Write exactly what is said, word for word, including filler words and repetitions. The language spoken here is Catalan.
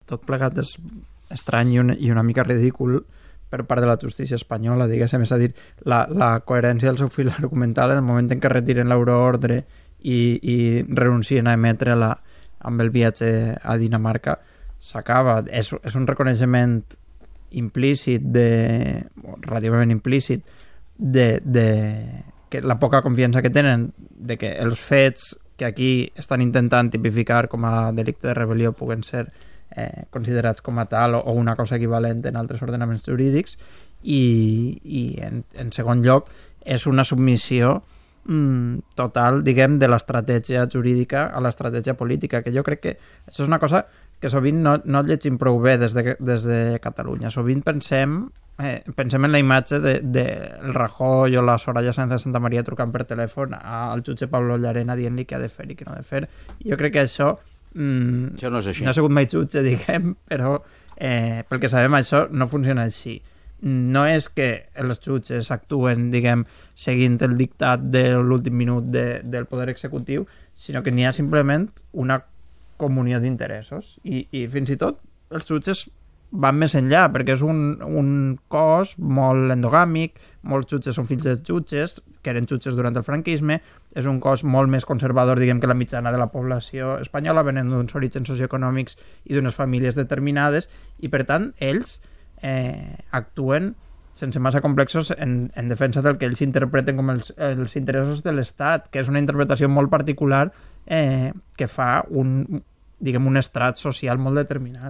tot plegat és estrany i una, i una mica ridícul per part de la justícia espanyola, diguéssim, és a dir, la, la coherència del seu fil argumental en el moment en què retiren l'euroordre i, i renuncien a emetre-la amb el viatge a Dinamarca s'acaba. És, és un reconeixement implícit, de, relativament implícit, de, de que la poca confiança que tenen de que els fets que aquí estan intentant tipificar com a delicte de rebel·lió puguen ser eh, considerats com a tal o, o una cosa equivalent en altres ordenaments jurídics i, i en, en segon lloc és una submissió mm, total, diguem, de l'estratègia jurídica a l'estratègia política, que jo crec que això és una cosa que sovint no, no llegim prou bé des de, des de Catalunya. Sovint pensem eh, pensem en la imatge del de, de Rajoy o la Soraya Sáenz de Santa Maria trucant per telèfon al jutge Pablo Llarena dient-li què ha de fer i què no ha de fer. Jo crec que això, mm, això no és així. No ha sigut mai jutge, diguem, però eh, pel que sabem això no funciona així. No és que els jutges actuen, diguem, seguint el dictat de l'últim minut de, del poder executiu, sinó que n'hi ha simplement una comunió d'interessos i, i fins i tot els jutges van més enllà perquè és un, un cos molt endogàmic, molts jutges són fills de jutges que eren jutges durant el franquisme, és un cos molt més conservador, diguem, que la mitjana de la població espanyola, venen d'uns orígens socioeconòmics i d'unes famílies determinades i per tant ells eh, actuen sense massa complexos en, en defensa del que ells interpreten com els, els interessos de l'Estat, que és una interpretació molt particular eh, que fa un, diguem, un estrat social molt determinat.